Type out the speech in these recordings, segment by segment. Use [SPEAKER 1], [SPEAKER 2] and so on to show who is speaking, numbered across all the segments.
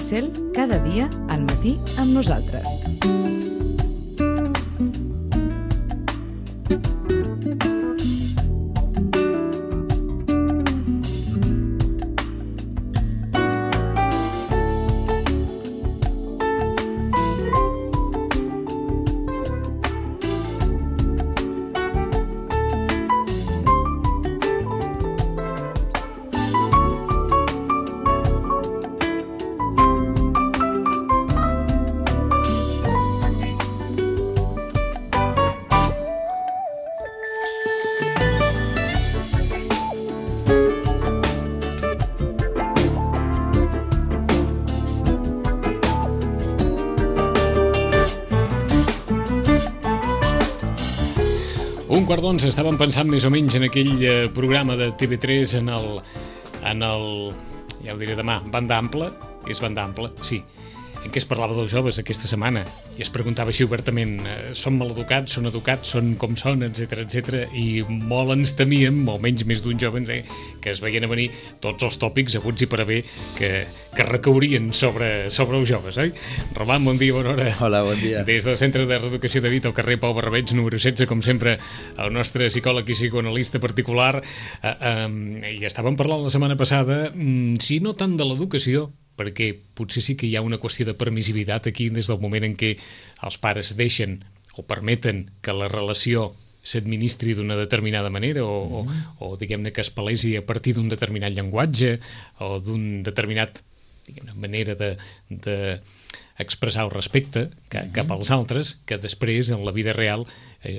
[SPEAKER 1] Cel, cada dia al matí amb nosaltres.
[SPEAKER 2] Un quart d'onze, estàvem pensant més o menys en aquell programa de TV3 en el, ja ho diré demà, banda ampla, és banda ampla, sí, en què es parlava dels joves aquesta setmana i es preguntava així obertament, són maleducats, són educats, són com són, etc, i molt ens temíem, o almenys més d'un jove, que es veien a venir tots els tòpics aguts i per haver que recaurien sobre els joves, oi? Roman, bon dia, bona hora.
[SPEAKER 3] Hola, bon dia.
[SPEAKER 2] Des del Centre de Reeducació de Vita, al carrer Pau Barrabeig, número 16, com sempre, el nostre psicòleg i psicoanalista particular, i estàvem parlant la setmana passada, si no tant de l'educació, perquè potser sí que hi ha una qüestió de permissivitat aquí des del moment en què els pares deixen o permeten que la relació s'administri d'una determinada manera o diguem-ne que es palesi a partir d'un determinat llenguatge o d'un determinat manera d'expressar el respecte cap als altres, que després en la vida real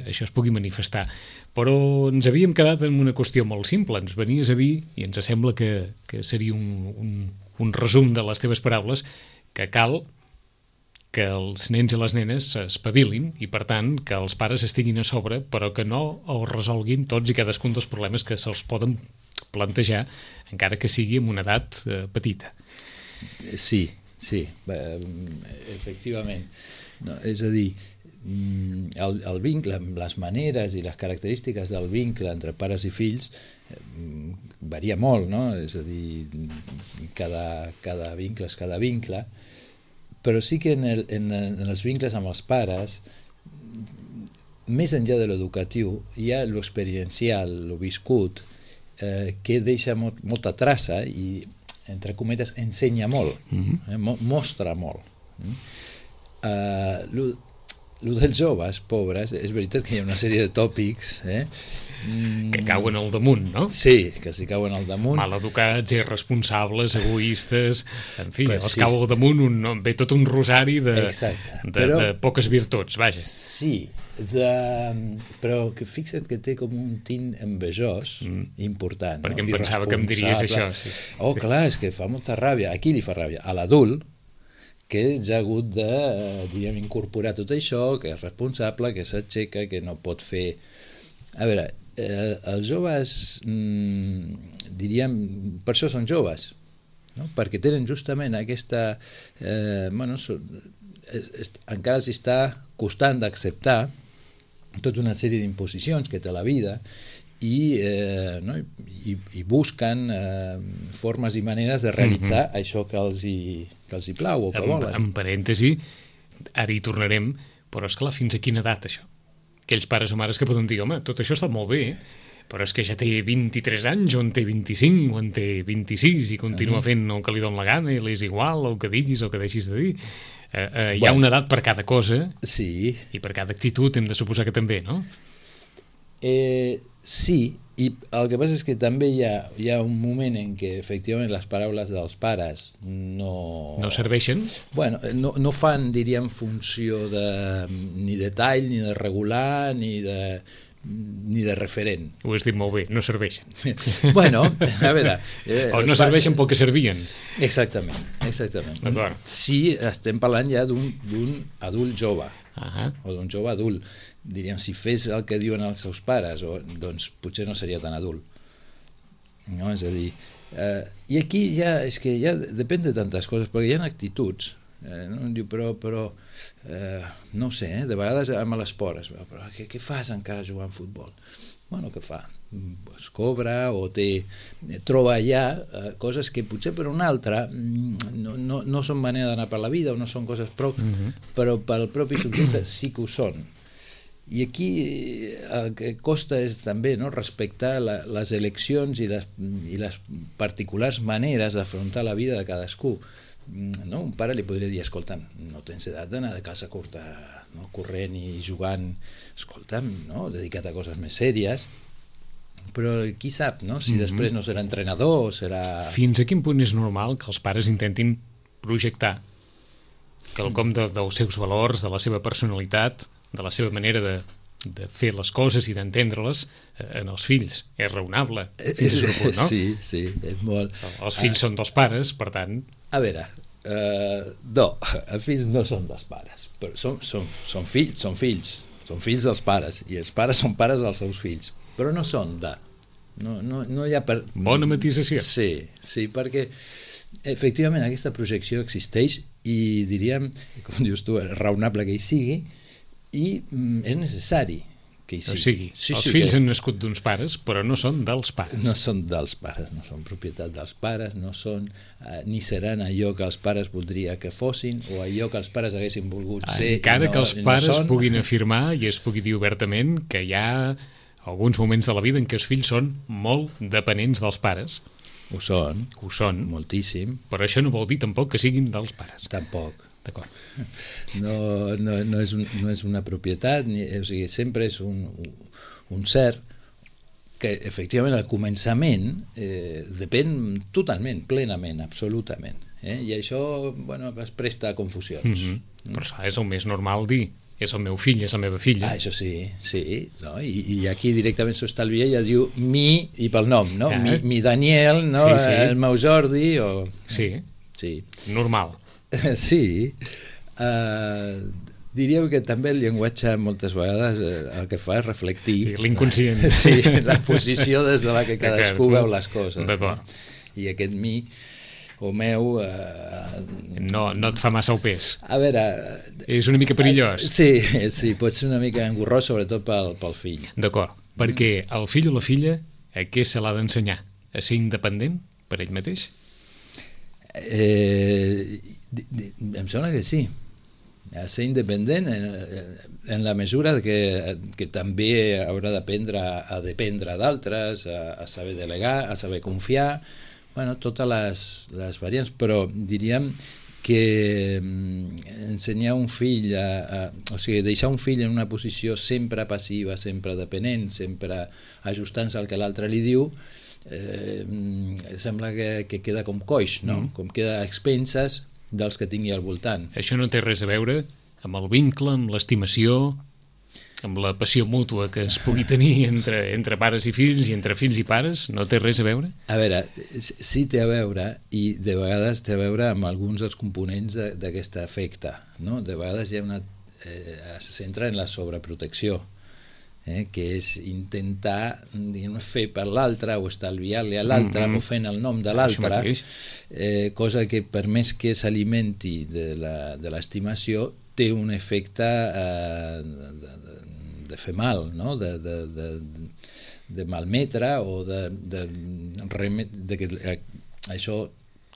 [SPEAKER 2] això es pugui manifestar. Però ens havíem quedat en una qüestió molt simple, ens venies a dir, i ens sembla que seria un resum de les teves paraules, que cal que els nens i les nenes s'espavilin i, per tant, que els pares estiguin a sobre, però que no els resolguin tots i cadascun dels problemes que se'ls poden plantejar, encara que sigui en una edat petita.
[SPEAKER 3] Sí, efectivament. No, és a dir, el vincle, les maneres i les característiques del vincle entre pares i fills varia molt, no? És a dir, cada vincle és cada vincle, però sí que en els vincles amb els pares, més enllà de l'educatiu, hi ha l'experiencial, el viscut, que deixa molta traça i, entre cometes, ensenya molt, mostra molt. El dels joves, pobres, és veritat que hi ha una sèrie de tòpics
[SPEAKER 2] que cauen al damunt, no?
[SPEAKER 3] Sí, que s'hi cauen al damunt.
[SPEAKER 2] Maleducats, irresponsables, egoistes, en fi, els cau al damunt ve tot un rosari de poques virtuts, vaja.
[SPEAKER 3] Sí, però que fixa't que té com un tint envejós important.
[SPEAKER 2] Perquè em pensava que em diries això.
[SPEAKER 3] Oh, clar, és que fa molta ràbia. A qui li fa ràbia? A l'adult, que ja ha hagut de, diguem, incorporar tot això, que és responsable, que s'aixeca, que no pot fer... A veure, els joves, diríem, per això són joves, no? Perquè tenen justament aquesta... encara els està costant d'acceptar tota una sèrie d'imposicions que té la vida i busquen formes i maneres de realitzar això que els hi plau o que volen.
[SPEAKER 2] En parèntesi, ara hi tornarem, però esclar, fins a quina edat això? Aquells pares o mares que poden dir, home, tot això està molt bé, però és que ja té 23 anys, o en té 25, o en té 26, i continua fent el que li dona la gana, i li és igual el que diguis o el que deixis de dir. Hi ha una edat per cada cosa,
[SPEAKER 3] sí,
[SPEAKER 2] i per cada actitud hem de suposar que també, no?
[SPEAKER 3] Sí, i el que passa és que també hi ha un moment en què efectivament les paraules dels pares no
[SPEAKER 2] serveixen?
[SPEAKER 3] Bueno, no fan, diríem, funció ni de tall, ni de regular, ni de referent.
[SPEAKER 2] Ho has dit molt bé, no serveixen.
[SPEAKER 3] Bueno, a veure...
[SPEAKER 2] o no serveixen pel que servien.
[SPEAKER 3] Exactament.
[SPEAKER 2] D'acord.
[SPEAKER 3] Sí, estem parlant ja d'un adult jove,
[SPEAKER 2] o
[SPEAKER 3] d'un jove adult. Diríem, si fes el que diuen els seus pares, doncs potser no seria tan adult. No? És a dir, i aquí és que ja depèn de tantes coses, perquè hi ha actituds. No? Diu, però no ho sé, de vegades amb l'esport, però què fas encara jugant a futbol? bueno, què fa? Es cobra o troba allà coses que potser per una altra no són manera d'anar per la vida o no són coses però pel propi subjecte sí que ho són. I aquí el que costa és també respectar les eleccions i les particulars maneres d'afrontar la vida de cadascú. Un pare li podria dir, escolta, no tens edat d'anar de calça curta, corrent i jugant, escolta'm, dedica't a coses més sèries, però qui sap, si després no serà entrenador o serà...
[SPEAKER 2] Fins a quin punt és normal que els pares intentin projectar quelcom dels seus valors, de la seva personalitat, de la seva manera de fer les coses i d'entendre-les en els fills? És raonable, fins a un punt, no?
[SPEAKER 3] Sí, és molt...
[SPEAKER 2] Els fills són dels pares, per tant...
[SPEAKER 3] A veure, no, els fills no són dels pares, però són fills dels pares, i els pares són pares dels seus fills, però no són de... No hi ha
[SPEAKER 2] Bona matisació.
[SPEAKER 3] Sí, perquè efectivament aquesta projecció existeix i diríem, com dius tu, és raonable que hi sigui i és necessari que hi sigui.
[SPEAKER 2] O sigui, els fills han nascut d'uns pares, però no són dels pares.
[SPEAKER 3] No són dels pares, no són propietat dels pares, no són ni seran allò que els pares voldria que fossin o allò que els pares haguessin volgut ser.
[SPEAKER 2] Encara que els pares puguin afirmar i es pugui dir obertament que hi ha alguns moments de la vida en què els fills són molt dependents dels pares.
[SPEAKER 3] Ho són. Moltíssim.
[SPEAKER 2] Però això no vol dir tampoc que siguin dels pares.
[SPEAKER 3] Tampoc.
[SPEAKER 2] D'acord.
[SPEAKER 3] No és una propietat, o sigui, sempre és un cert que efectivament al començament depèn totalment, plenament, absolutament. I això es presta a confusions.
[SPEAKER 2] Però és el més normal dir és el meu fill, és la meva filla.
[SPEAKER 3] Això sí. No? I aquí directament s'estalvia i ja diu mi i pel nom, no? Mi Daniel, no? Sí. El meu Jordi o...
[SPEAKER 2] Sí. Normal.
[SPEAKER 3] Sí. Diríem que també el llenguatge moltes vegades el que fa és reflectir
[SPEAKER 2] l'inconscient.
[SPEAKER 3] Sí, la posició des de la que cadascú veu les coses.
[SPEAKER 2] D'acord.
[SPEAKER 3] I aquest mi o meu...
[SPEAKER 2] No et fa massa el pes.
[SPEAKER 3] A veure...
[SPEAKER 2] És una mica perillós.
[SPEAKER 3] Sí, pot ser una mica engorrós, sobretot pel fill.
[SPEAKER 2] D'acord, perquè el fill o la filla a què se l'ha d'ensenyar? A ser independent per ell mateix?
[SPEAKER 3] Em sembla que sí. A ser independent en la mesura que també haurà d'aprendre a dependre d'altres, a saber delegar, a saber confiar, totes les variants, però diríem que ensenyar un fill, o sigui, deixar un fill en una posició sempre passiva, sempre dependent, sempre ajustant-se al que l'altre li diu, sembla que queda com coix, no? Com queda a expenses dels que tingui al voltant.
[SPEAKER 2] Això no té res a veure amb el vincle, amb l'estimació, amb la passió mútua que es pugui tenir entre pares i fills i entre fills i pares? No té res a veure?
[SPEAKER 3] A veure, sí té a veure, i de vegades té a veure amb alguns dels components d'aquest efecte, no? De vegades hi ha se centra en la sobreprotecció, que és intentar fer per l'altre o estalviar-li a l'altre o fent el nom de l'altre, cosa que per més que s'alimenti de l'estimació té un efecte de fer mal, no? De malmetre o de que això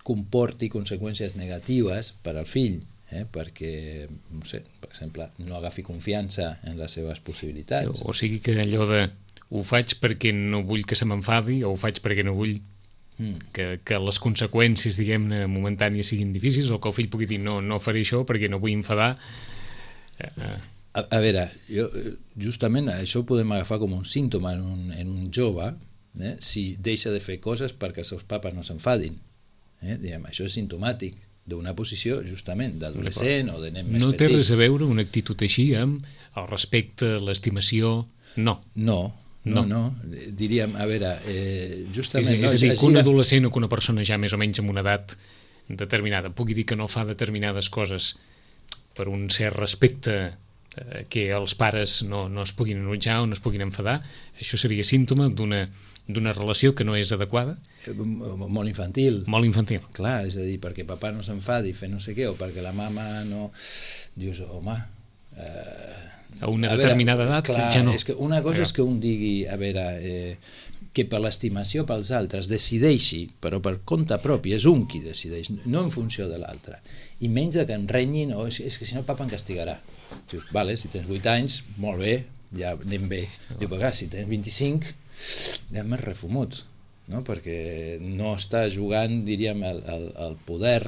[SPEAKER 3] comporti conseqüències negatives per al fill, perquè, no sé, per exemple, no agafi confiança en les seves possibilitats.
[SPEAKER 2] O sigui que allò de ho faig perquè no vull que se m'enfadi o ho faig perquè no vull que les conseqüències, diguem-ne, momentànies siguin difícils, o que el fill pugui dir no faré això perquè no vull enfadar.
[SPEAKER 3] A veure, justament això ho podem agafar com un símptoma en un jove, si deixa de fer coses perquè els seus papes no s'enfadin. Això és simptomàtic d'una posició justament d'adolescent o de nen més petit.
[SPEAKER 2] No té res a veure una actitud així amb el respecte, l'estimació? No.
[SPEAKER 3] No, diríem, a veure, justament...
[SPEAKER 2] És a dir, que un adolescent o que una persona ja més o menys amb una edat determinada pugui dir que no fa determinades coses per un cert respecte que els pares no es puguin enutjar o no es puguin enfadar, això seria símptoma d'una relació que no és adequada?
[SPEAKER 3] Molt infantil.
[SPEAKER 2] Molt infantil.
[SPEAKER 3] Clar, és a dir, perquè papà no s'enfadi fer no sé què, o perquè la mama no... Dius, home...
[SPEAKER 2] a una determinada edat ja no.
[SPEAKER 3] És que una cosa és que un digui, a veure, que per l'estimació pels altres decideixi, però per compte propi, és un qui decideix, no en funció de l'altre, i menys que em renyin, és que si no papa em castigarà. Dius, vale, si tens 8 anys, molt bé, ja anem bé. Diu, però si tens 25, ja m'has refumut, no? Perquè no està jugant, diríem, el poder,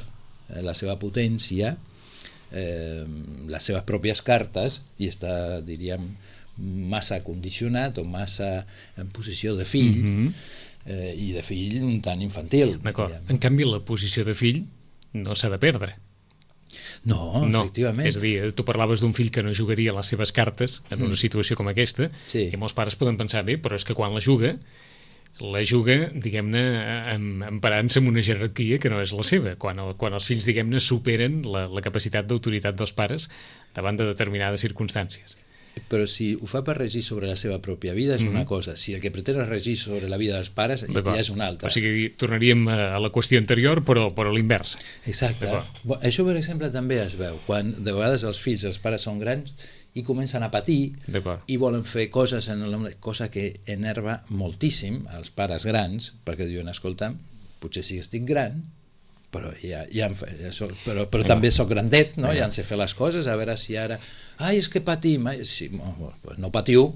[SPEAKER 3] la seva potència, les seves pròpies cartes, i està, diríem, massa condicionat o massa en posició de fill, i de fill un tant infantil.
[SPEAKER 2] D'acord. En canvi, la posició de fill no s'ha de perdre.
[SPEAKER 3] No, efectivament.
[SPEAKER 2] És a dir, tu parlaves d'un fill que no jugaria les seves cartes en una situació com aquesta,
[SPEAKER 3] sí.
[SPEAKER 2] I molts pares poden pensar, bé, però és que quan la juga, diguem-ne, emparant-se en una jerarquia que no és la seva, quan els fills, diguem-ne, superen la capacitat d'autoritat dels pares davant de determinades circumstàncies.
[SPEAKER 3] Però si ho fa per regir sobre la seva pròpia vida és una cosa, si el que pretén és regir sobre la vida dels pares ja és una altra.
[SPEAKER 2] O sigui, tornaríem a la qüestió anterior, però a l'inversa.
[SPEAKER 3] Exacte. Això, per exemple, també es veu quan de vegades els fills, els pares són grans i comencen a patir i volen fer coses, cosa que enerva moltíssim als pares grans, perquè diuen, escolta, potser sí que estic gran, però però també soc grandet, no? Ja en sé fer les coses, a veure si ara és que patim, sí, no patiu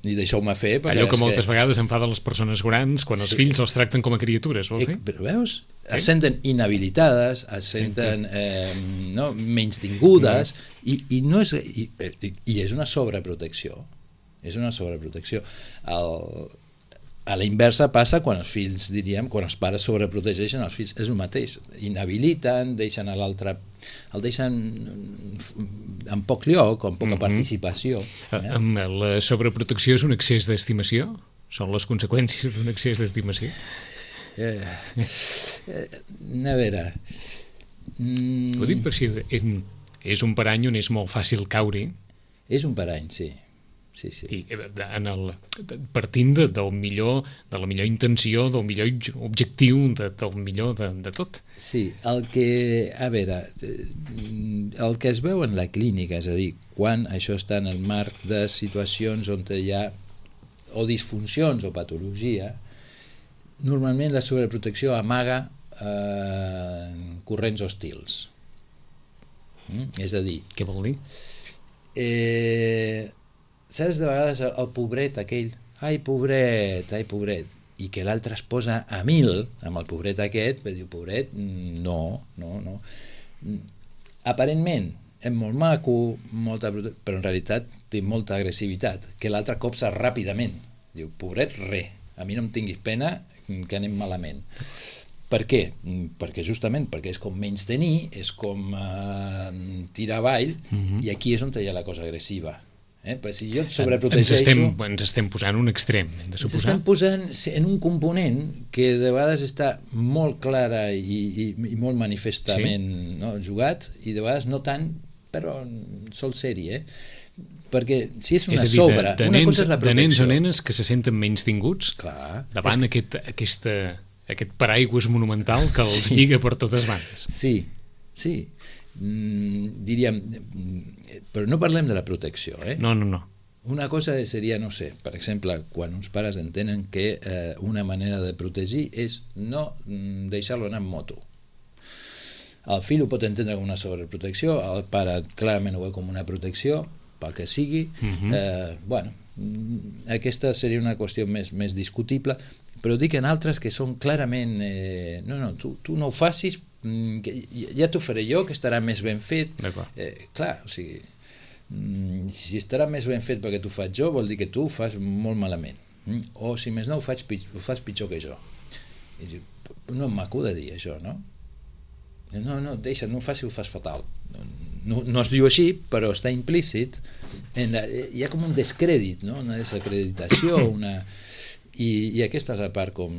[SPEAKER 3] ni deixeu-me fer,
[SPEAKER 2] allò que moltes vegades enfada les persones grans quan els fills els tracten com a criatures, vols dir?
[SPEAKER 3] Però veus? Es senten inhabilitades, es senten menys tingudes, i és una sobreprotecció, a la inversa passa quan els fills, diríem, quan els pares sobreprotegeixen els fills, és el mateix, inhabiliten, deixen a l'altre, el deixen en poc lloc, amb poca participació.
[SPEAKER 2] La sobreprotecció és un excés d'estimació? Són les conseqüències d'un excés d'estimació?
[SPEAKER 3] A veure...
[SPEAKER 2] Ho dic per si és un parany on és molt fàcil caure-hi.
[SPEAKER 3] És un parany, sí.
[SPEAKER 2] I partint de la millor intenció, del millor objectiu, del millor de tot.
[SPEAKER 3] Sí, el que es veu en la clínica, és a dir, quan això està en el marc de situacions on hi ha o disfuncions o patologia, normalment la sobreprotecció amaga corrents hostils. És a dir...
[SPEAKER 2] Què vol dir?
[SPEAKER 3] Saps, de vegades el pobret aquell, ai pobret, i que l'altre es posa a 1000 amb el pobret aquest, però diu, pobret, no. Aparentment és molt maco, però en realitat té molta agressivitat, que l'altre copsa ràpidament. Diu, pobret, a mi no em tinguis pena, que anem malament. Per què? Perquè és com menys tenir, és com tirar avall, i aquí és on hi ha la cosa agressiva. Però si jo et sobreprotegeixo...
[SPEAKER 2] Ens estem posant un extrem, hem de suposar.
[SPEAKER 3] Ens estem posant en un component que de vegades està molt clara i molt manifestament jugat, i de vegades no tant, però sol ser-hi, perquè si és una sobre...
[SPEAKER 2] De nens o nenes que se senten menys tinguts davant aquest paraigües monumental que els lliga per totes bandes.
[SPEAKER 3] Sí. Diríem, però no parlem de la protecció,
[SPEAKER 2] No.
[SPEAKER 3] Una cosa seria, no sé, per exemple, quan uns pares entenen que una manera de protegir és no deixar-lo anar en moto. El fill ho pot entendre com una sobreprotecció, el pare clarament ho veu com una protecció, pel que sigui. Aquesta seria una qüestió més discutible, però dic en altres que són clarament tu no ho facis, que ja t'ho faré jo, que estarà més ben fet. Clar, o sigui, si estarà més ben fet perquè t'ho faig jo, vol dir que tu ho fas molt malament, o si més no ho fas pitjor que jo. No em maco de dir això, no? No, deixa, no ho faci, ho fas fatal. No es diu així, però està implícit. Hi ha com un descrèdit, una desacreditació, i aquesta és la part com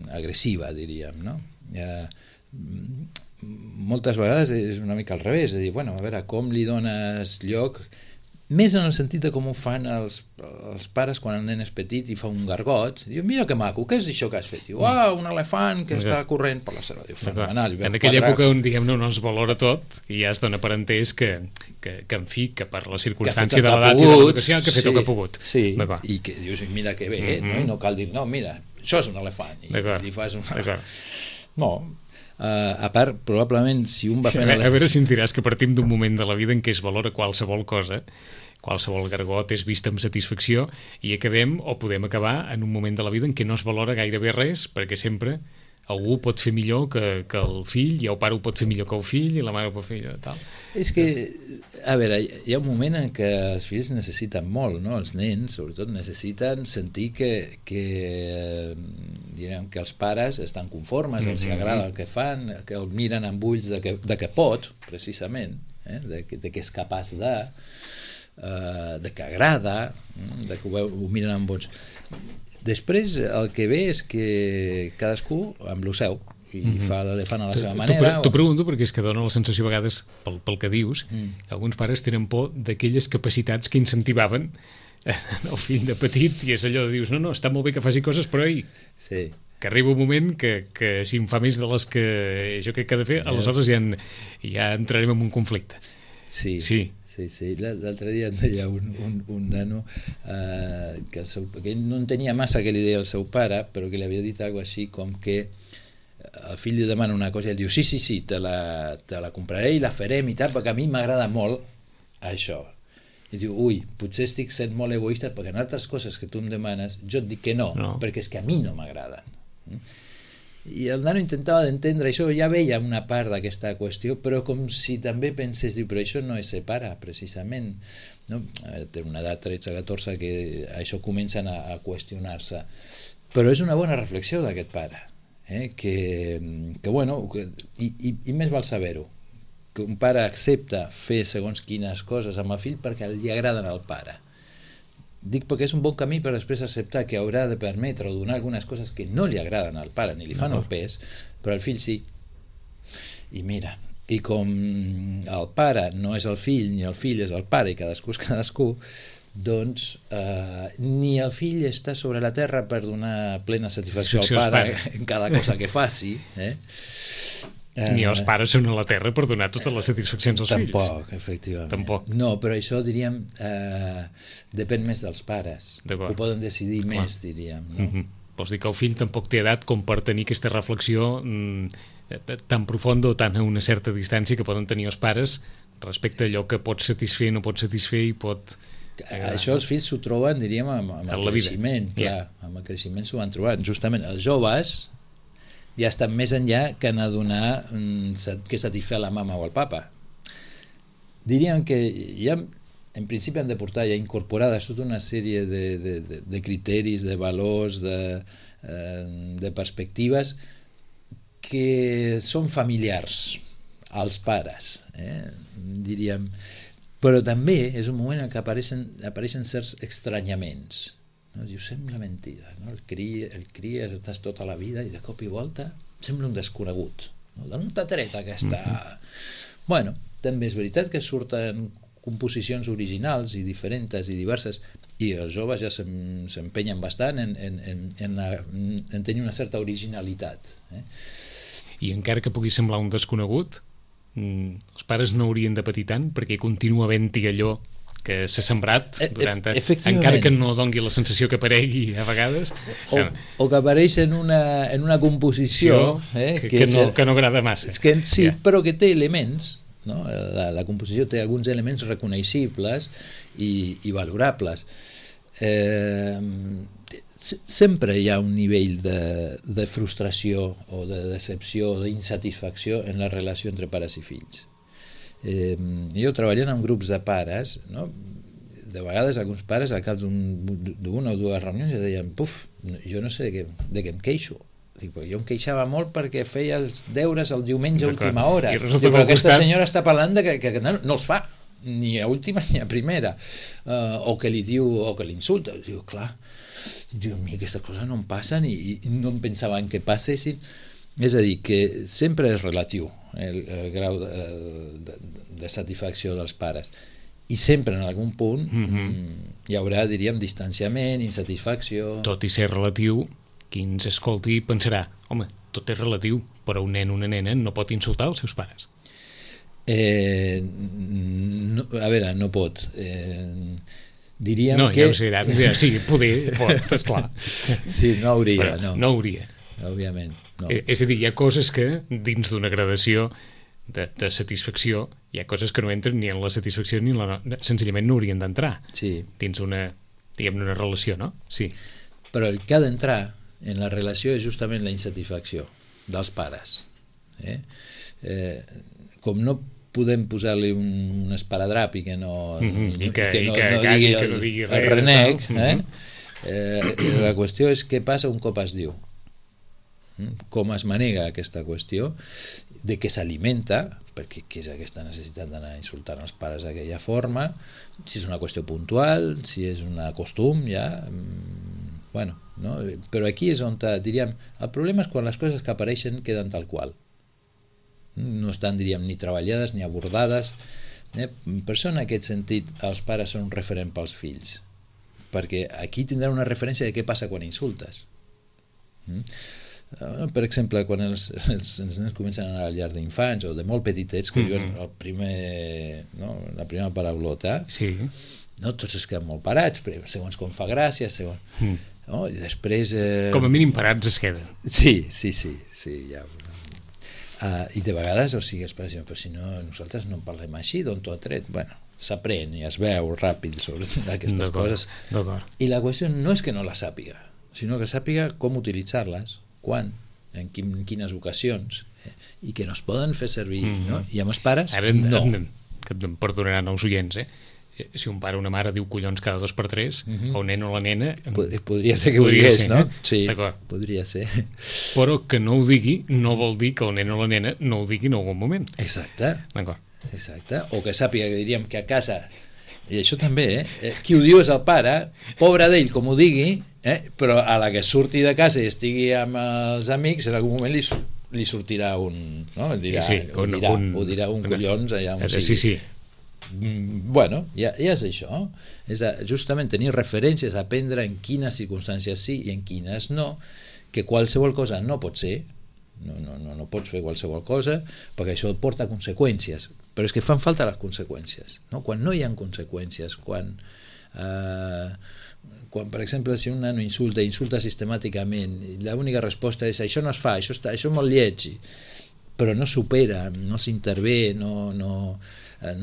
[SPEAKER 3] agressiva, diríem, no? Moltes vegades és una mica al revés, és a dir, a veure, com li dones lloc més en el sentit de com ho fan els pares quan el nen és petit i fa un gargot. Diu, mira que maco, què és això que has fet? Diu, un elefant que està corrent per la selva. Diu, fenomenal.
[SPEAKER 2] En aquella època on, diguem-ne, no es valora tot i ja es dona per entès que en fi, que per la circumstància de l'edat i de l'educació que ha fet el que ha pogut.
[SPEAKER 3] Sí, i que dius, mira que bé, no? I no cal dir, no, mira, això és un elefant. I li fas un... No, a part, probablement, si un va fent...
[SPEAKER 2] A veure si ens diràs que partim d'un moment de la vida en què es valora qualsevol cosa, qualsevol gargot és vist amb satisfacció, i acabem, o podem acabar, en un moment de la vida en què no es valora gairebé res, perquè sempre algú pot fer millor que el fill, i el pare ho pot fer millor que el fill, i la mare ho pot fer millor, tal.
[SPEAKER 3] És que, a veure, hi ha un moment en què els fills necessiten molt, no? Els nens, sobretot, necessiten sentir que direm que els pares estan conformes, els agrada el que fan, que el miren amb ulls de que pot, precisament, de que és capaç de que agrada, de que ho miren amb bons. Després el que ve és que cadascú amb lo seu i fa l'elefant a la seva manera.
[SPEAKER 2] T'ho pregunto perquè és que dona la sensació a vegades pel que dius, que alguns pares tenen por d'aquelles capacitats que incentivaven el fill de petit, i és allò de dius, no, està molt bé que faci coses, però que arriba un moment que si en fa més de les que jo crec que ha de fer, aleshores ja entrarem en un conflicte.
[SPEAKER 3] Sí. L'altre dia em deia un nano que ell no entenia massa què li deia el seu pare, però que li havia dit alguna cosa així com que el fill li demana una cosa i ell diu sí, te la compraré i la farem i tal, perquè a mi m'agrada molt això. I diu, potser estic sent molt egoista perquè en altres coses que tu em demanes jo et dic que no, perquè és que a mi no m'agraden. I el nano intentava d'entendre això, ja veia una part d'aquesta qüestió, però com si també pensés, però això no és ser pare, precisament, no? Té una edat 13-14 que això comencen a qüestionar-se, però és una bona reflexió d'aquest pare, i més val saber-ho, que un pare accepta fer segons quines coses amb el fill perquè li agraden al pare. Dic perquè és un bon camí per després acceptar que haurà de permetre o donar algunes coses que no li agraden al pare ni li fan el pes, però al fill sí. I mira, i com el pare no és el fill ni el fill és el pare i cadascú és cadascú, doncs ni el fill està sobre la terra per donar plena satisfacció al pare en cada cosa que faci,
[SPEAKER 2] ni els pares són a la terra per donar totes les satisfaccions als fills.
[SPEAKER 3] Tampoc, efectivament. No, però això, diríem, depèn més dels pares. Ho poden decidir més, diríem. No?
[SPEAKER 2] Vols dir que el fill tampoc té edat com per tenir aquesta reflexió tan profunda o tan a una certa distància que poden tenir els pares respecte a allò que pot satisfer, no pot satisfer i pot...
[SPEAKER 3] Això els fills s'ho troben, diríem, amb el creixement. Clar, amb el creixement s'ho van trobant. Justament els joves ja estan més enllà que anar a donar que satisfer la mama o el papa. Diríem que ja en principi han de portar ja incorporades tota una sèrie de criteris, de valors, de perspectives que són familiars als pares, diríem. Però també és un moment en què apareixen certs estranyaments. No? Diu, sembla mentida, no? El cries, estàs tota la vida i de cop i volta sembla un desconegut, no? D'on t'ha tret aquesta... Bueno, també és veritat que surten composicions originals i diferents i diverses, i els joves ja s'empenyen bastant en tenir una certa originalitat.
[SPEAKER 2] I encara que pugui semblar un desconegut, els pares no haurien de patir tant perquè continua havent-hi allò que s'ha sembrat durant encara que no dongui la sensació que aparegui a vegades
[SPEAKER 3] o que apareix en una composició
[SPEAKER 2] que no agrada massa
[SPEAKER 3] però que té elements, no? La composició té alguns elements reconeixibles i valorables. Sempre hi ha un nivell de frustració o de decepció o d'insatisfacció en la relació entre pares i fills. Jo treballant en grups de pares, no? De vegades alguns pares al cap d'una o dues reunions ja deien, jo no sé de què em queixo. Dic, jo em queixava molt perquè feia els deures el diumenge a última hora. Però aquesta senyora està parlant que no els fa ni a última ni a primera, o que li diu o que l'insulta. Diu, clar, a mi aquestes coses no em passen i no em pensava en què passessin. És a dir, que sempre és relatiu el grau de satisfacció dels pares. i sempre en algun punt hi haurà, diríem, distanciament, insatisfacció...
[SPEAKER 2] Tot i ser relatiu, qui ens escolti pensarà, home, tot és relatiu, però un nen o una nena no pot insultar els seus pares.
[SPEAKER 3] No, a veure, no pot. Diríem
[SPEAKER 2] no,
[SPEAKER 3] que...
[SPEAKER 2] No, ja ho sé, sí, poder, pot, esclar.
[SPEAKER 3] Sí, no hauria,
[SPEAKER 2] però
[SPEAKER 3] no.
[SPEAKER 2] No hauria.
[SPEAKER 3] Òbviament, no.
[SPEAKER 2] És a dir, hi ha coses que, dins d'una gradació de satisfacció, hi ha coses que no entren ni en la satisfacció ni en la... Senzillament no haurien d'entrar dins una, diguem-ne, una relació, no? Sí.
[SPEAKER 3] Però el que ha d'entrar en la relació és justament la insatisfacció dels pares. Com no podem posar-li un esparadrap i que no digui el renec, la qüestió és què passa un cop es diu, com es manega aquesta qüestió, de què s'alimenta, perquè què és aquesta necessitat d'anar insultant els pares d'aquella forma, si és una qüestió puntual, si és un costum, ja... Bueno, no? Però aquí és on, diríem, el problema és quan les coses que apareixen queden tal qual. No estan, diríem, ni treballades ni abordades. Per això, en aquest sentit, els pares són un referent pels fills, perquè aquí tindran una referència de què passa quan insultes. Per exemple, quan els nens comencen a anar al llar d'infants o de molt petitets que diuen la primera paraulota, no? Tots es queden molt parats, segons com fa gràcia, no? I després...
[SPEAKER 2] Com a mínim parats es queden.
[SPEAKER 3] Sí, ja... I de vegades, o sigui, però si no, nosaltres no parlem així, d'on t'ho ha tret? Bueno, s'aprèn i es veu ràpid sobre aquestes coses. I la qüestió no és que no la sàpiga, sinó que sàpiga com utilitzar-les, quan, en quines ocasions, i que no es poden fer servir, no? I amb els pares, no.
[SPEAKER 2] Que em perdonaran els oients, si un pare o una mare diu collons cada 2x3, el nen o la nena...
[SPEAKER 3] Podria ser que ho digués, no? Sí,
[SPEAKER 2] podria ser. Però que no ho digui no vol dir que el nen o la nena no ho digui en algun moment.
[SPEAKER 3] Exacte.
[SPEAKER 2] D'acord.
[SPEAKER 3] Exacte. O que sàpiga que diríem que a casa, i això també, qui ho diu és el pare, pobre d'ell com ho digui, però a la que surti de casa i estigui amb els amics, en algun moment li sortirà un... No? Ho dirà un collons allà on sigui.
[SPEAKER 2] Sí.
[SPEAKER 3] Bueno, ja és això, és justament tenir referències, aprendre en quines circumstàncies sí i en quines no, que qualsevol cosa no pot ser, no pots fer qualsevol cosa, perquè això porta conseqüències, però és que fan falta les conseqüències, no? Quan no hi ha conseqüències, quan per exemple, si un nano insulta sistemàticament, l'única resposta és això no es fa, això és molt lleig, però no supera, no s'intervé, no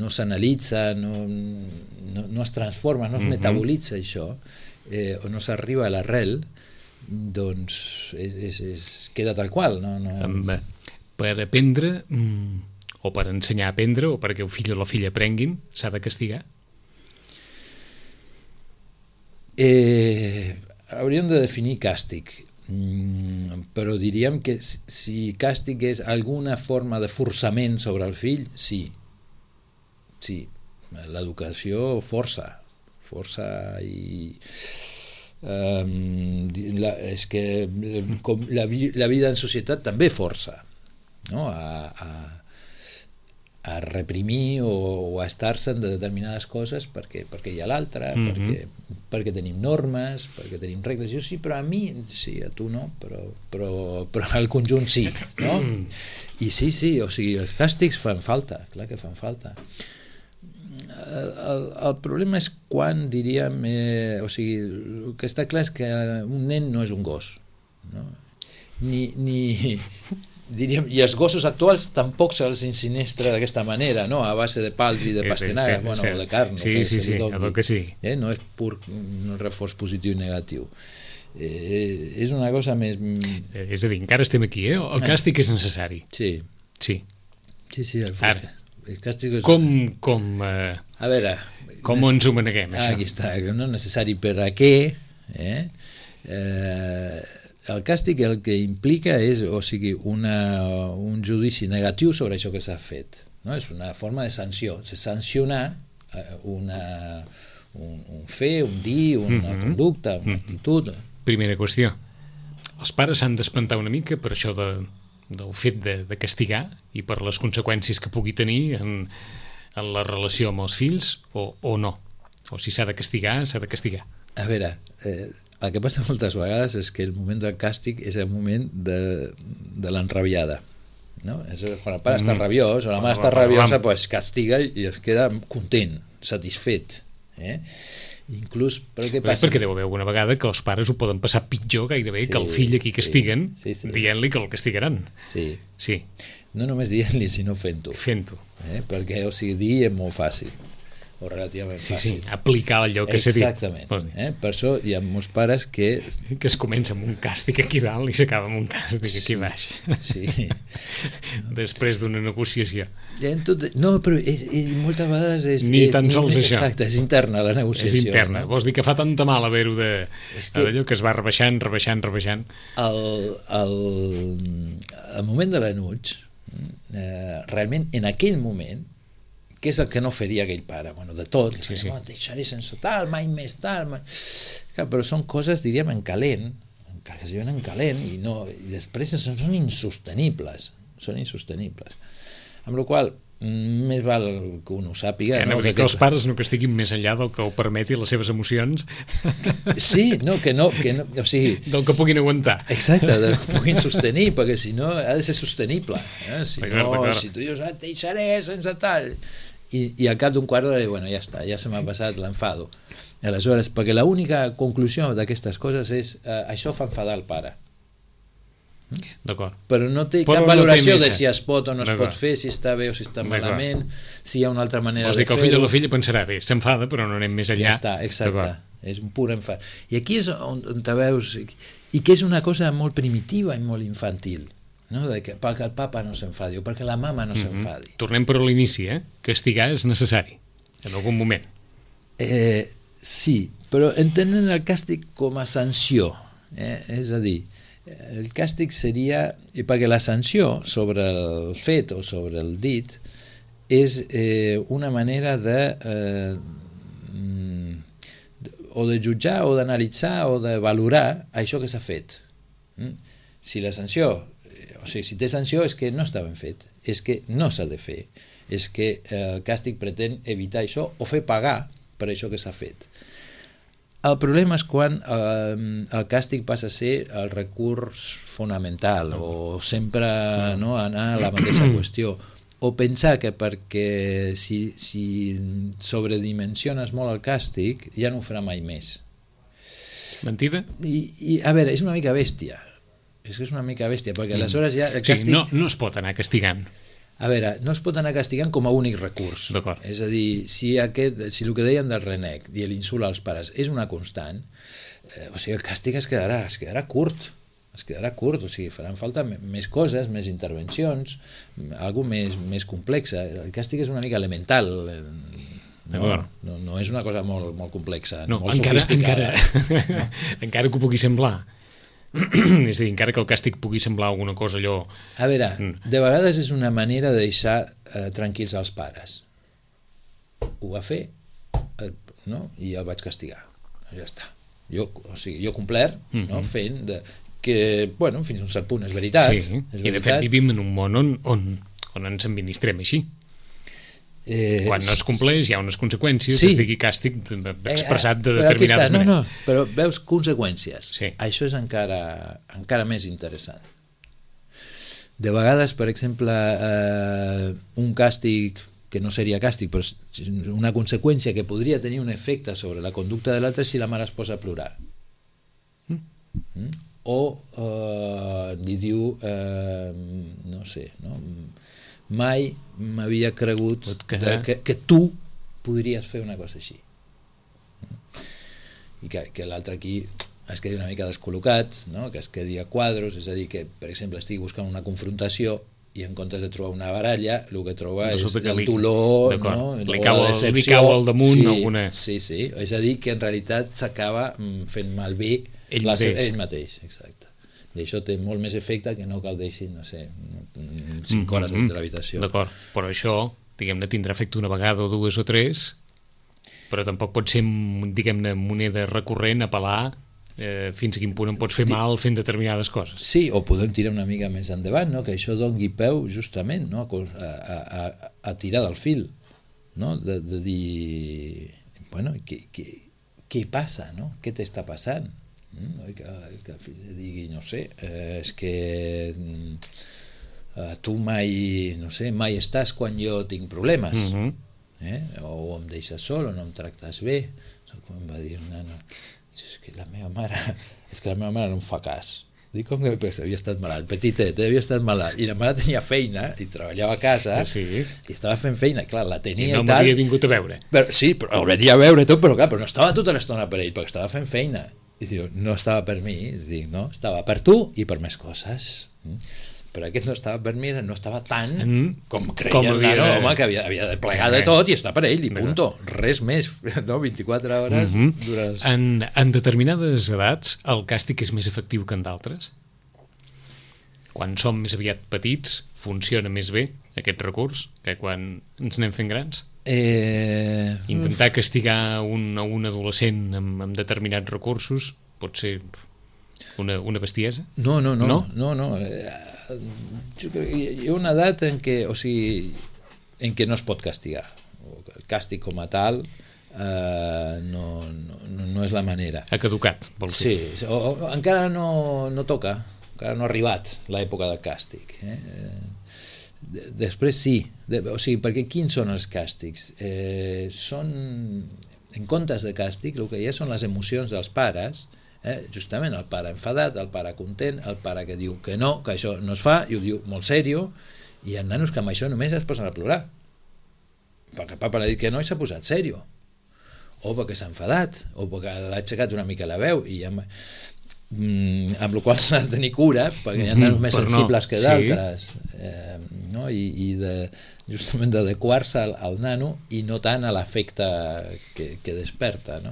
[SPEAKER 3] s'analitza, no es transforma, no es metabolitza això, o no s'arriba a l'arrel, doncs queda tal qual.
[SPEAKER 2] Per aprendre, o per ensenyar a aprendre, o perquè el fill o la filla aprenguin, s'ha de castigar?
[SPEAKER 3] Hauríem de definir càstig, però diríem que si càstig és alguna forma de forçament sobre el fill, sí, l'educació força i és que com la vida en societat també força, no? A reprimir o a estar-se en determinades coses perquè hi ha l'altre, perquè tenim normes, perquè tenim regles. Jo sí, però a mi sí, a tu no, però al conjunt sí, no? I sí, o sigui, els càstigs fan falta, clar que fan falta. El problema és quan, diríem, o sigui, el que està clar és que un nen no és un gos, no? Diríem, i els gossos actuals tampoc se'ls insinestra d'aquesta manera, no? A base de pals i de pastanaga, o de carn,
[SPEAKER 2] que sí.
[SPEAKER 3] No és pur un reforç positiu i negatiu, és una cosa més...
[SPEAKER 2] És a dir, encara estem aquí, el càstig és necessari.
[SPEAKER 3] Sí,
[SPEAKER 2] ara,
[SPEAKER 3] el càstig és...
[SPEAKER 2] A veure, com ens ho maneguem, això?
[SPEAKER 3] Aquí està, no necessari per a què, el càstig el que implica és, o sigui, un judici negatiu sobre això que s'ha fet, no? És una forma de sanció, de sancionar un fer, un dir, una conducta, una actitud.
[SPEAKER 2] Primera qüestió, els pares s'han d'espantar una mica per això del fet de castigar i per les conseqüències que pugui tenir en en la relació amb els fills o no? O si s'ha de castigar, s'ha de castigar.
[SPEAKER 3] A veure, el que passa moltes vegades és que el moment del càstig és el moment de l'enrabiada, no? Quan el pare està rabiós o la mare està rabiosa, pues castiga i es queda content, satisfet, inclús, però què passa?
[SPEAKER 2] Perquè deu haver alguna vegada que els pares ho poden passar pitjor gairebé que el fill a qui castiguen, dient-li que el castigaran. Sí.
[SPEAKER 3] No només dient-li, sinó fent-ho. Perquè, o sigui, dir és molt fàcil, o relativament fàcil.
[SPEAKER 2] Sí, aplicar allò que s'ha dit.
[SPEAKER 3] Exactament. Per això hi ha molts pares que
[SPEAKER 2] es comença amb un càstig aquí dalt i s'acaba amb un càstig aquí baix.
[SPEAKER 3] Sí.
[SPEAKER 2] Després d'una negociació.
[SPEAKER 3] No, però moltes vegades és...
[SPEAKER 2] Ni tan sols això.
[SPEAKER 3] Exacte, és interna la negociació.
[SPEAKER 2] És interna. Vols dir que fa tanta mal haver-ho d'allò que es va rebaixant.
[SPEAKER 3] El moment de l'enuig, realment, en aquell moment, què és el que no faria aquell pare? Bueno, de tot, deixaré sense tal, mai més tal... Clar, però són coses, diríem, en calent, que es diuen en calent, i després són insostenibles. Amb la qual cosa, més val que un ho sàpiga...
[SPEAKER 2] Que els pares no castiguin més enllà del que ho permeti les seves emocions.
[SPEAKER 3] Sí, que no, o sigui...
[SPEAKER 2] Del que puguin aguantar.
[SPEAKER 3] Exacte, del que puguin sostenir, perquè si no ha de ser sostenible. Si tu dius, et deixaré sense tal... I al cap d'un quart d'hora, bueno, ja està, ja se m'ha passat l'enfado. Aleshores, perquè l'única conclusió d'aquestes coses és això fa enfadar el pare.
[SPEAKER 2] D'acord.
[SPEAKER 3] Però no té cap valoració de si es pot o no es pot fer, si està bé o si està malament, si hi ha una altra manera de fer-ho.
[SPEAKER 2] Vols dir que el fill o la filla pensarà, bé, s'enfada, però no anem més enllà.
[SPEAKER 3] Ja està, exacte. És un pur enfat. I aquí és on te veus... I que és una cosa molt primitiva i molt infantil, no? Perquè el papa no s'enfadi o perquè la mama no s'enfadi.
[SPEAKER 2] Tornem per l'inici, castigar és necessari en algun moment.
[SPEAKER 3] Sí, però entenent el càstig com a sanció, és a dir, el càstig seria, perquè la sanció sobre el fet o sobre el dit és una manera o de jutjar o d'analitzar o de valorar això que s'ha fet. Si la sanció, o sigui, si té sanció és que no està ben fet, és que no s'ha de fer, és que el càstig pretén evitar això o fer pagar per això que s'ha fet. El problema és quan el càstig passa a ser el recurs fonamental o sempre anar a la mateixa qüestió, o pensar que perquè si sobredimensiones molt el càstig ja no ho farà mai més.
[SPEAKER 2] Mentida?
[SPEAKER 3] I a veure, és una mica bèstia. És que és una mica bèstia, perquè aleshores ja el càstig...
[SPEAKER 2] Sí, no es pot anar castigant.
[SPEAKER 3] A veure, no es pot anar castigant com a únic recurs.
[SPEAKER 2] D'acord.
[SPEAKER 3] És a dir, si el que deien del renec i l'insult als pares és una constant, o sigui, el càstig es quedarà curt, o sigui, faran falta més coses, més intervencions, alguna més complexa. El càstig és una mica elemental, no és una cosa molt complexa, molt sofisticada.
[SPEAKER 2] Encara que ho pugui semblar. És a dir, encara que el càstig pugui semblar alguna cosa allò...
[SPEAKER 3] A veure, de vegades és una manera de deixar tranquils els pares. Ho va fer, i el vaig castigar. Ja està. Jo he complert, fent que, fins a un cert punt és veritat.
[SPEAKER 2] Sí, i de fet vivim en un món on ens administrem així. Quan no es compleix hi ha unes conseqüències, es digui càstig expressat de determinades maneres.
[SPEAKER 3] No, però veus conseqüències.
[SPEAKER 2] Sí.
[SPEAKER 3] Això és encara més interessant. De vegades, per exemple, un càstig que no seria càstig, però una conseqüència que podria tenir un efecte sobre la conducta de l'altre si la mare es posa a plorar. O li diu, no sé, mai m'havia cregut que tu podries fer una cosa així. I que l'altre aquí es quedi una mica descol·locat, que es quedi a quadros, és a dir, que, per exemple, estigui buscant una confrontació i en comptes de trobar una baralla, el que troba és el dolor,
[SPEAKER 2] li cau al damunt alguna...
[SPEAKER 3] Sí, és a dir, que en realitat s'acaba fent malbé ell mateix, exacte. I això té molt més efecte que no cal deixi, no sé, 5 hores dins de l'habitació.
[SPEAKER 2] D'acord, però això, diguem-ne, tindrà efecte una vegada o dues o tres, però tampoc pot ser, diguem-ne, moneda recurrent, apel·lar fins a quin punt em pots fer mal fent determinades coses.
[SPEAKER 3] Sí, o podem tirar una mica més endavant, que això doni peu justament a tirar del fil. no? De dir, bueno, què passa, no? Què t'està passant? Que el fill digui, no sé, és que tu mai, no sé, mai estàs quan jo tinc problemes, o em deixes sol o no em tractes bé. Com em va dir un nano, és que la meva mare no em fa cas. Dic, com que havia estat malalt, petitet, havia estat malalt, i la mare tenia feina i treballava a casa, i estava fent feina, clar, la tenia i
[SPEAKER 2] no
[SPEAKER 3] tal.
[SPEAKER 2] m'havia vingut a veure.
[SPEAKER 3] Sí, però el venia a veure tot, però clar, però no estava tota l'estona per ell, perquè estava fent feina. I diu, no estava per mi, dic, no, estava per tu i per més coses. Però aquest no estava per mi, no estava tant com creia el nano, home, que havia de plegar de tot i estar per ell, i punto, res més, no? 24 hores.
[SPEAKER 2] En determinades edats el càstig és més efectiu que en d'altres? Quan som més aviat petits funciona més bé aquest recurs que quan ens anem fent grans? Intentar castigar un adolescent amb determinats recursos pot ser una bestiesa?
[SPEAKER 3] No. Jo crec que hi ha una edat en què, o sigui, en què no es pot castigar. El càstig com a tal no és la manera.
[SPEAKER 2] Ha caducat, vols dir?
[SPEAKER 3] Sí, o encara no toca, encara no ha arribat l'època del càstig. Després sí, o sigui, perquè quins són els càstigs? Són, en comptes de càstig, el que hi ha són les emocions dels pares. Justament el pare enfadat, el pare content, el pare que diu que no, que això no es fa, i ho diu molt sèrio, i hi ha nanos que amb això només es posen a plorar, perquè papa l'ha dit que no i s'ha posat sèrio, o perquè s'ha enfadat, o perquè l'ha aixecat una mica la veu, i amb la qual s'ha de tenir cura, perquè hi ha nanos més sensibles que d'altres, no? I justament d'adequar-se al nano i no tant a l'efecte que desperta, no?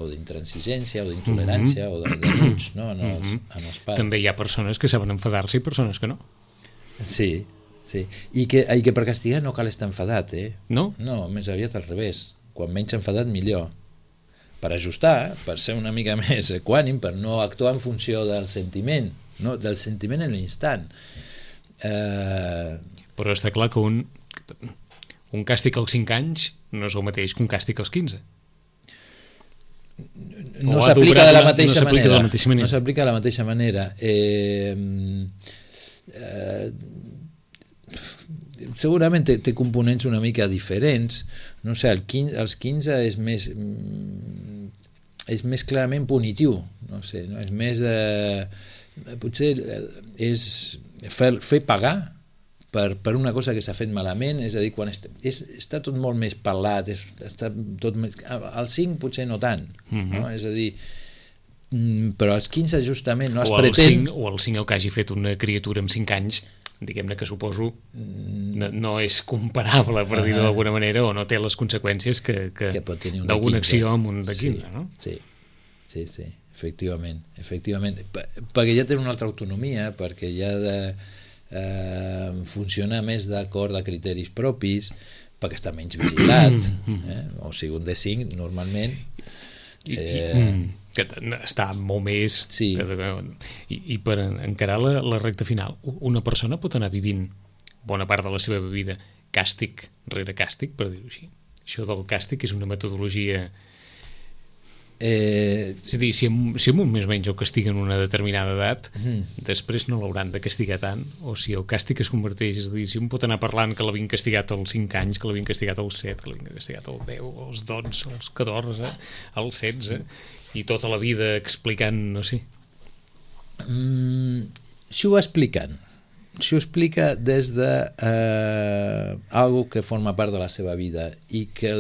[SPEAKER 3] O d'intransigència o d'intolerància o de buig, no? en els pares.
[SPEAKER 2] També hi ha persones que saben enfadar-se i persones que no.
[SPEAKER 3] Sí. I que per castigar no cal estar enfadat,
[SPEAKER 2] No?
[SPEAKER 3] No, més aviat al revés, quan menys enfadat millor, per ajustar, per ser una mica més equànim, per no actuar en funció del sentiment, no? Del sentiment en l'instant.
[SPEAKER 2] Però està clar que un càstig als 5 anys no és el mateix que un càstig als 15.
[SPEAKER 3] No s'aplica de la mateixa manera. No s'aplica de la mateixa manera. Segurament té components una mica diferents. No sé, als 15 és més clarament punitiu. No sé, no? És més... potser és fer pagar per una cosa que s'ha fet malament, és a dir, quan està tot molt més parlat, està tot més, als 5 potser no tant, no? És a dir, però als 15 justament no es pretén...
[SPEAKER 2] O als 5 que hagi fet una criatura amb 5 anys, diguem-ne que suposo no és comparable, per dir-ho d'alguna manera, o no té les conseqüències que d'alguna acció amb un de 15, no?
[SPEAKER 3] Sí, efectivament, perquè ja té una altra autonomia, perquè ja funciona més d'acord a criteris propis, perquè està menys vigilat, o sigui, un de 5 normalment
[SPEAKER 2] que està molt més i per encarar la recta final, una persona pot anar vivint bona part de la seva vida càstig rere càstig, per dir-ho així. Això del càstig és una metodologia... és a dir, si amb un més o menys el castiguen una determinada edat, després no l'hauran de castigar tant, o si el càstig es converteix, és a dir, si un pot anar parlant que l'havien castigat als 5 anys, que l'havien castigat als 7, que l'havien castigat als 10, als 12, als 14, als 16, i tota la vida explicant, no sé.
[SPEAKER 3] Si ho explica des de algo que forma part de la seva vida i que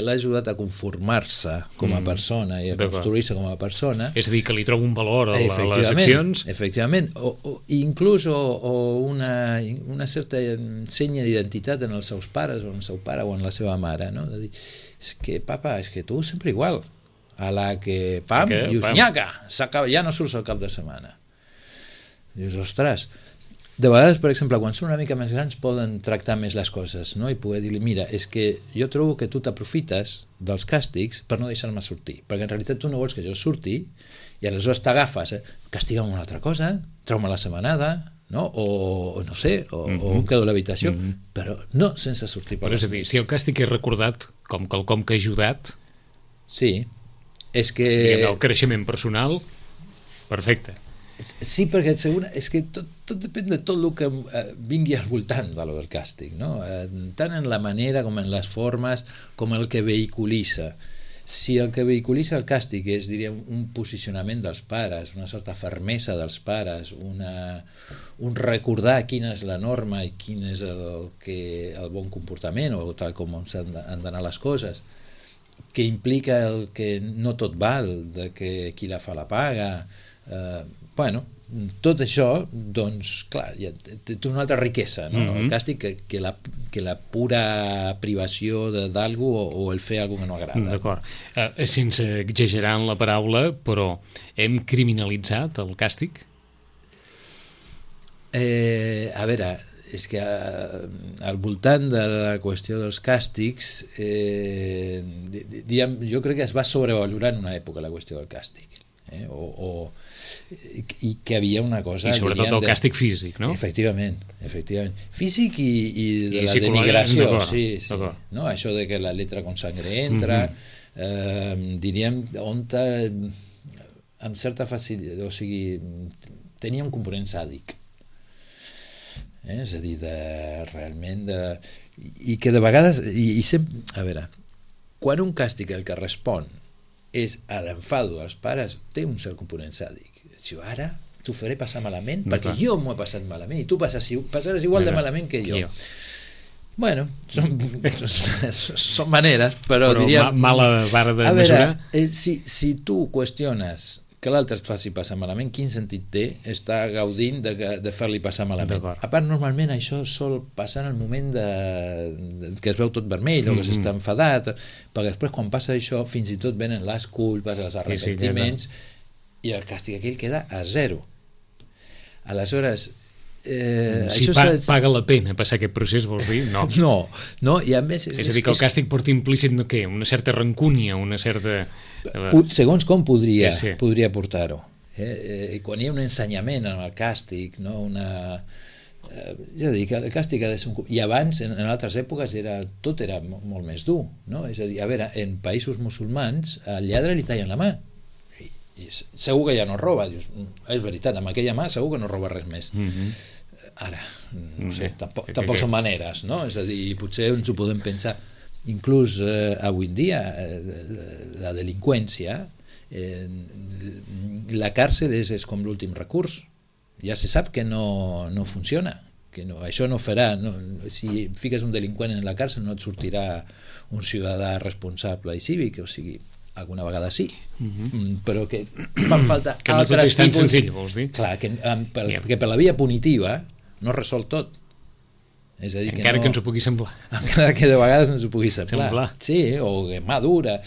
[SPEAKER 3] l'ha ajudat a conformar-se com a persona i a construir-se com a persona.
[SPEAKER 2] És a dir, que li troba un valor a les accions.
[SPEAKER 3] Efectivament, o inclús una certa senya d'identitat en els seus pares, o en el seu pare o en la seva mare, no? De dir, és que papa, és que tu sempre igual, a la que pam, dius, nyaca, ja no surts al cap de setmana. Dius, ostres, de vegades, per exemple, quan són una mica més grans poden tractar més les coses, no? I poder dir-li, mira, és que jo trobo que tu t'aprofites dels càstigs per no deixar-me sortir, perquè en realitat tu no vols que jo surti i aleshores t'agafes, castiga'm una altra cosa, treu-me la setmanada, no? O no sé, o em quedo a l'habitació, però no sense sortir per
[SPEAKER 2] Però és a dir, si el càstig és recordat com quelcom que ha ajudat,
[SPEAKER 3] sí, és que...
[SPEAKER 2] diguem, el creixement personal, perfecte.
[SPEAKER 3] Sí, perquè és que tot depèn de tot el que vingui al voltant de lo del càstig, no? Tant en la manera com en les formes, com el que vehiculitza. Si el que vehiculitza el càstig és, diríem, un posicionament dels pares, una certa fermesa dels pares, un recordar quina és la norma i quin és el bon comportament, o tal com han d'anar les coses, que implica el que no tot val, de que qui la fa la paga, bueno, tot això, doncs, clar, ja té una altra riquesa, no? El càstig que la pura privació d'algú o el fer alguna que no agrada.
[SPEAKER 2] D'acord. Sense exagerar en la paraula, però hem criminalitzat el càstig?
[SPEAKER 3] A veure, és que al voltant de la qüestió dels càstigs, jo crec que es va sobrevalorar en una època la qüestió del càstig. I que havia una cosa...
[SPEAKER 2] I sobretot el càstig físic, no?
[SPEAKER 3] Efectivament. Físic i de la denigració, sí. No? Això de que la letra con sangre entra, diríem, on amb certa facilitat, o sigui, tenia un component sàdic. És a dir, realment i que de vegades i sempre, a veure, quan un càstig el que respon és a l'enfado dels pares, té un cert component sàdic. Jo ara t'ho faré passar malament perquè jo m'ho he passat malament i tu passaràs igual de malament que jo. Bueno, són maneres, però diríem...
[SPEAKER 2] Mala vara de mesurar.
[SPEAKER 3] A veure, si tu qüestiones que l'altre et faci passar malament, quin sentit té estar gaudint de fer-li passar malament? A part, normalment això sol passar en el moment que es veu tot vermell o que s'està enfadat, perquè després quan passa això fins i tot venen les culpes, els arrepentiments, i el càstig aquell queda a zero. Aleshores...
[SPEAKER 2] Si paga la pena passar aquest procés, vols dir? No.
[SPEAKER 3] No, i a més...
[SPEAKER 2] És a dir, que el càstig porta implícit què? Una certa rancúnia, una certa...
[SPEAKER 3] Segons com podria portar-ho. Quan hi ha un ensenyament en el càstig, no? Ja dic, el càstig ha de ser I abans, en altres èpoques, tot era molt més dur, no? És a dir, a veure, en països musulmans al lladre li tallen la mà i segur que ja no roba. Dius, és veritat, amb aquella mà segur que no roba res més. Ara, no sé, tampoc són maneres, no? És a dir, potser ens ho podem pensar. Inclús avui en dia la delinqüència, la càrcel és com l'últim recurs. Ja se sap que no funciona, que això no farà, si fiques un delinqüent en la càrcel no et sortirà un ciutadà responsable i cívic, o sigui, alguna vegada sí, però que fan falta
[SPEAKER 2] que no tot és tan senzill, vols dir?
[SPEAKER 3] Clar, perquè per la via punitiva no resol tot. És a dir,
[SPEAKER 2] encara que ens ho pugui semblar.
[SPEAKER 3] Encara que de vegades ens ho pugui semblar. Sí, o que mà dura.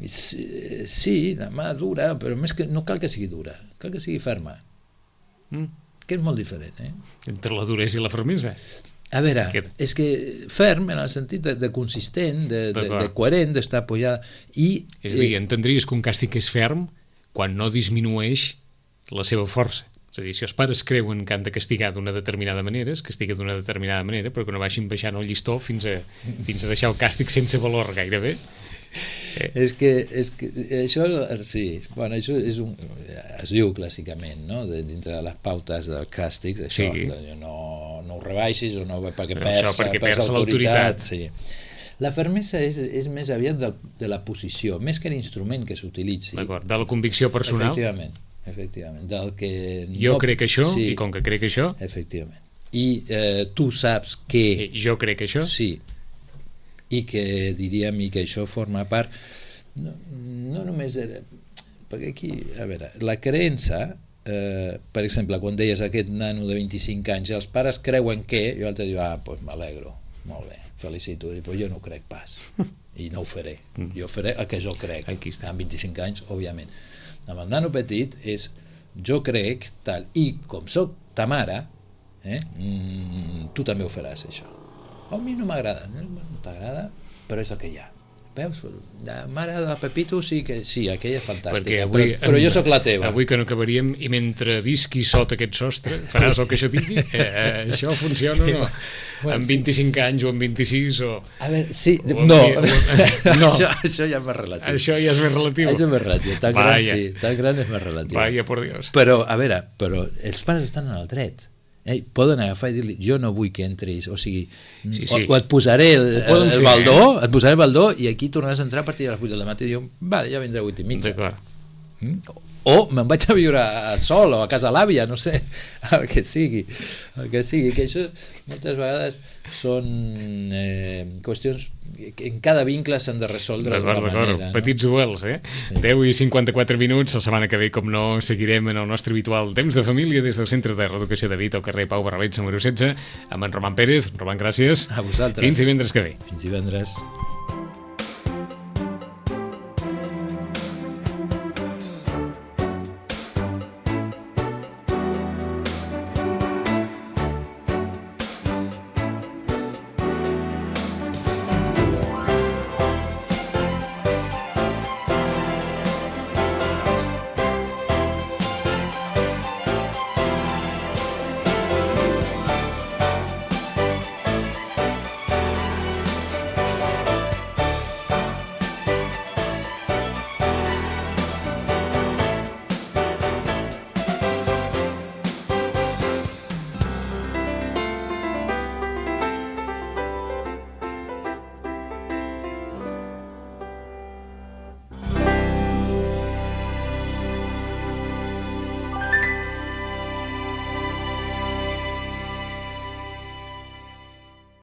[SPEAKER 3] Sí, la mà dura, però més que no cal que sigui dura, cal que sigui ferma. Que és molt diferent,
[SPEAKER 2] entre la duresa i la fermesa.
[SPEAKER 3] A veure, és que ferm en el sentit de consistent, de coherent, d'estar apoyada. És
[SPEAKER 2] a dir, entendries que un càstig és ferm quan no disminueix la seva força. És a dir, si els pares creuen que han de castigar d'una determinada manera, es castiga d'una determinada manera, però que no vagin baixant el llistó fins a deixar el càstig sense valor gairebé.
[SPEAKER 3] És que això, sí, bueno, això es diu clàssicament, no? Dintre de les pautes del càstig, això, no ho rebaixis o no, perquè perds l'autoritat. Sí. La fermesa és més aviat de la posició, més que l'instrument que s'utilitzi.
[SPEAKER 2] D'acord, de la convicció personal.
[SPEAKER 3] Efectivament, del que...
[SPEAKER 2] Jo crec això, i com que crec això...
[SPEAKER 3] Efectivament. I tu saps que...
[SPEAKER 2] Jo crec això...
[SPEAKER 3] Sí. I que diríem i que això forma part no només perquè aquí, a veure, la creença per exemple, quan deies aquest nano de 25 anys els pares creuen que, i l'altre diu doncs m'alegro, molt bé, felicito, però jo no ho crec pas i no ho faré, jo faré el que jo crec amb 25 anys, òbviament. Amb el nano petit és jo crec tal, i com soc ta mare tu també ho faràs això. A mi no m'agrada, no t'agrada, però és el que hi ha. veus, la mare de Pepito sí, aquella és fantàstica,
[SPEAKER 2] avui,
[SPEAKER 3] però jo sóc la teva.
[SPEAKER 2] Avui que no acabaríem, i mentre visqui sota aquest sostre, faràs el que això digui? Això funciona o no? Bueno, amb 25 anys o amb 26 o...
[SPEAKER 3] A veure, sí, no, això ja és més relatiu.
[SPEAKER 2] Això ja és més relatiu.
[SPEAKER 3] Això és més relatiu, tan gran sí, tan gran és més relatiu.
[SPEAKER 2] Vaya, por Dios.
[SPEAKER 3] Però, a veure, els pares estan en el dret. Poden agafar i dir-li, jo no vull que entris, o sigui, sí. O et posaré el baldó, i aquí tornaràs a entrar a partir de les 8 del matí, i jo, vale, ja vindré a 8 i mitja.
[SPEAKER 2] D'acord.
[SPEAKER 3] O me'n vaig a viure sol o a casa l'àvia, no sé, el que sigui, que això moltes vegades són qüestions que en cada vincle s'han de resoldre d'una manera.
[SPEAKER 2] No? Petits duels, Sí. 10 i 54 minuts, la setmana que ve, com no, seguirem en el nostre habitual temps de família des del Centre de Reeducació de Vita al carrer Pau Barrabets, número 16, amb en Roman Pérez. Roman, gràcies.
[SPEAKER 3] A vosaltres.
[SPEAKER 2] Fins divendres que ve.
[SPEAKER 3] Fins divendres.